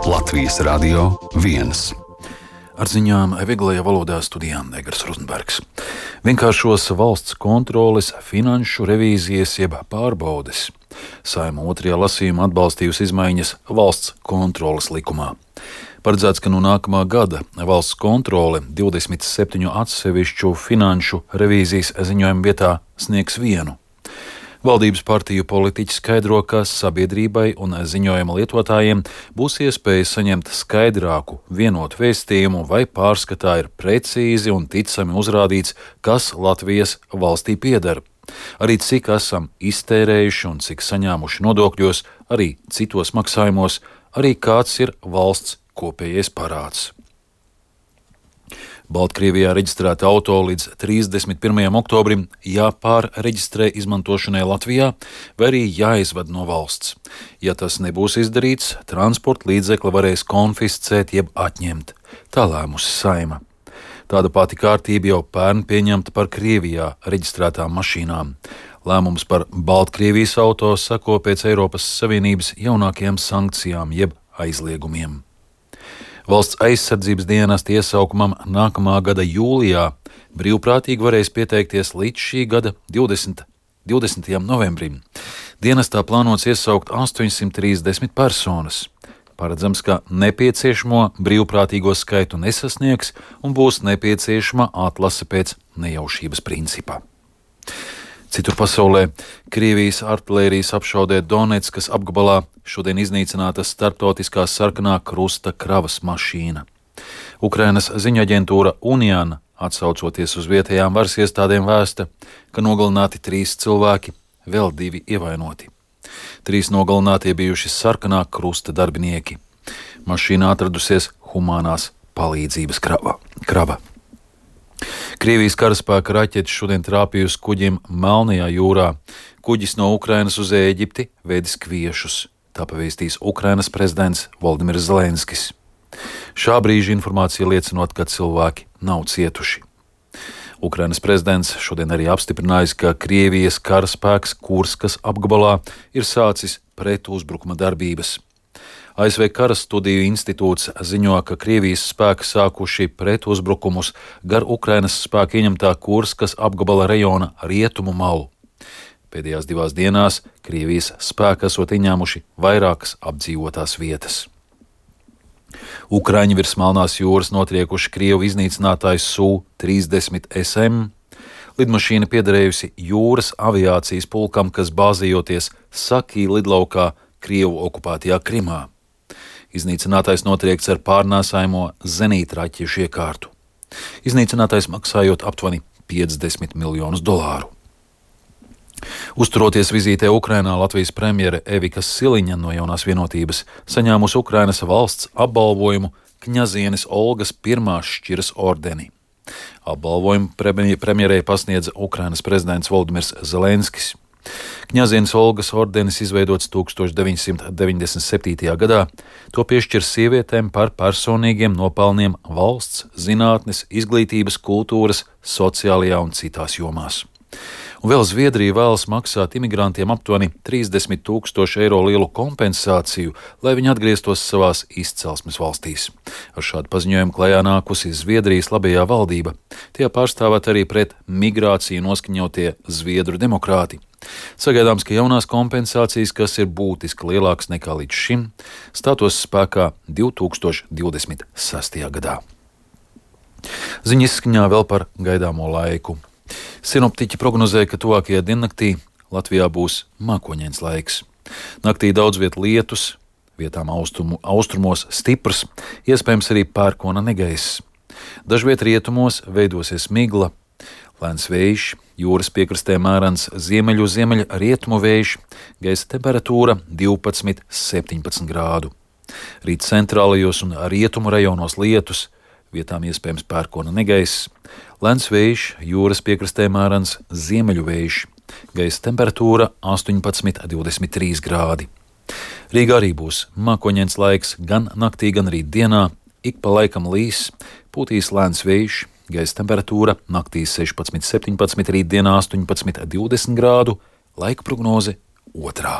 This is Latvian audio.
Latvijas Radio 1. Ar ziņām vieglajā valodā studijā Negars Rozenbergs. Vienkāršos valsts kontroles, finanšu revīzijas jeb pārbaudes. Saeima otrajā lasījumā atbalstījusi izmaiņas valsts kontroles likumā. Paredzēts, ka no nākamā gada valsts kontrole 27 atsevišķu finanšu revīzijas ziņojumu vietā sniegs vienu. Valdības partiju politiķi skaidro, ka sabiedrībai un ziņojuma lietotājiem būs iespēja saņemt skaidrāku, vienotu vēstījumu, vai pārskatā ir precīzi un ticami uzrādīts, kas Latvijas valstī pieder. Arī cik esam iztērējuši un cik saņēmuši nodokļos, arī citos maksājumos, arī kāds ir valsts kopējais parāds. Baltkrievijā reģistrēta auto līdz 31. oktobrim jāpārreģistrē izmantošanai Latvijā, vai arī jāizved no valsts. Ja tas nebūs izdarīts, transporta līdzekli varēs konfiscēt jeb atņemt. Tā lēmusi Saeima. Tāda pati kārtība jau pērn pieņemta par Krievijā reģistrētām mašīnām. Lēmums par Baltkrievijas auto seko pēc Eiropas Savienības jaunākajām sankcijām jeb aizliegumiem. Valsts aizsardzības dienesta iesaukumam nākamā gada jūlijā brīvprātīgi varēs pieteikties līdz šī gada 20. novembrim. Dienestā plānots iesaukt 830 personas. Paredzams, ka nepieciešamo brīvprātīgo skaitu nesasniegs un būs nepieciešama atlase pēc nejaušības principa. Citur pasaulē Krievijas artilērijas apšaudē Donetskas apgabalā šodien iznīcināta starptautiskā sarkanā krusta kravas mašīna. Ukrainas ziņaģentūra Unian, atsaucoties uz vietējām varas iestādēm, vēsta, ka nogalināti 3 cilvēki, vēl 2 ievainoti. 3 nogalinātie bijuši sarkanā krusta darbinieki. Mašīnā atradusies humanās palīdzības krava. Krievijas karaspēka raķetes šodien trāpījusi kuģim Melnajā jūrā. Kuģis no Ukrainas uz Ēģipti vedis kviešus. Tā pavēstīs Ukrainas prezidents Voldimirs Zelenskis. Šā brīža informācija liecinot, ka cilvēki nav cietuši. Ukrainas prezidents šodien arī apstiprinājis, ka Krievijas karaspēks Kurskas apgabalā ir sācis pretuzbrukuma darbības. ASV Karastudiju institūts ziņo, ka Krievijas spēki sākuši pretuzbrukumus gar Ukrainas spēku ieņemtā Kurskas apgabala rajona rietumu malu. Pēdējās 2 dienās Krievijas spēki esot ieņēmuši vairākas apdzīvotās vietas. Ukraiņi virs Melnās jūras notriekuši Krievu iznīcinātāju Su-30 SM. Lidmašīna piederējusi jūras aviācijas pulkam, kas bāzējoties Sakī lidlaukā Krievu okupētajā Krimā. Iznīcinātais notriekts ar pārnēsājumo zenītraķešu iekārtu. Iznīcinātais maksājot aptuveni $50 miljonus. Uzturoties vizītē Ukrainā, Latvijas premjere Evika Siliņa no Jaunās vienotības saņēmusi Ukrainas valsts apbalvojumu Kņazienes Olgas pirmās šķiras ordeni. Apbalvojumu premjerei pasniedza Ukrainas prezidents Voldimirs Zelenskis. Kņazienes Olgas ordenis izveidots 1997. gadā. To piešķir sievietēm par personīgiem nopelniem valsts, zinātnes, izglītības, kultūras, sociālajā un citās jomās. Un vēl Zviedrija vēlas maksāt imigrantiem aptuveni 30 000 eiro lielu kompensāciju, lai viņi atgrieztos savās izcelsmes valstīs. Ar šādu paziņojumu klajā nākusi Zviedrijas labējā valdība. Tie pārstāvēt arī pret migrāciju noskaņotie Zviedru demokrāti. Sagaidāms, ka jaunās kompensācijas, kas ir būtiski lielākas nekā līdz šim, stātos spēkā 2026. gadā. Ziņa izskaņā vēl par gaidāmo laiku. Sinoptiķi prognozē, ka tuvākajā diennaktī Latvijā būs mākoņains laiks. Naktī daudz viet lietus, vietām austrumos stiprs, iespējams arī pērkona negaiss. Dažviet rietumos veidosies migla, lēns vējš, jūras piekrastē mērens ziemeļu rietumu vējš, gaisa temperatūra 12–17 grādu. Rīt centrālajos un rietumu rajonos lietus, vietām iespējams pērkona negaiss, lēns vējš, jūras piekrastē mērens ziemeļu vējš, gaisa temperatūra 18–23 grādi. Rīgā arī būs mākoņains laiks gan naktī, gan rīt dienā, ik pa laikam līs, pūtīs lēns vējš, gaisa temperatūra naktī 16–17, rīt dienā 18–20 grādu, laika prognoze 2.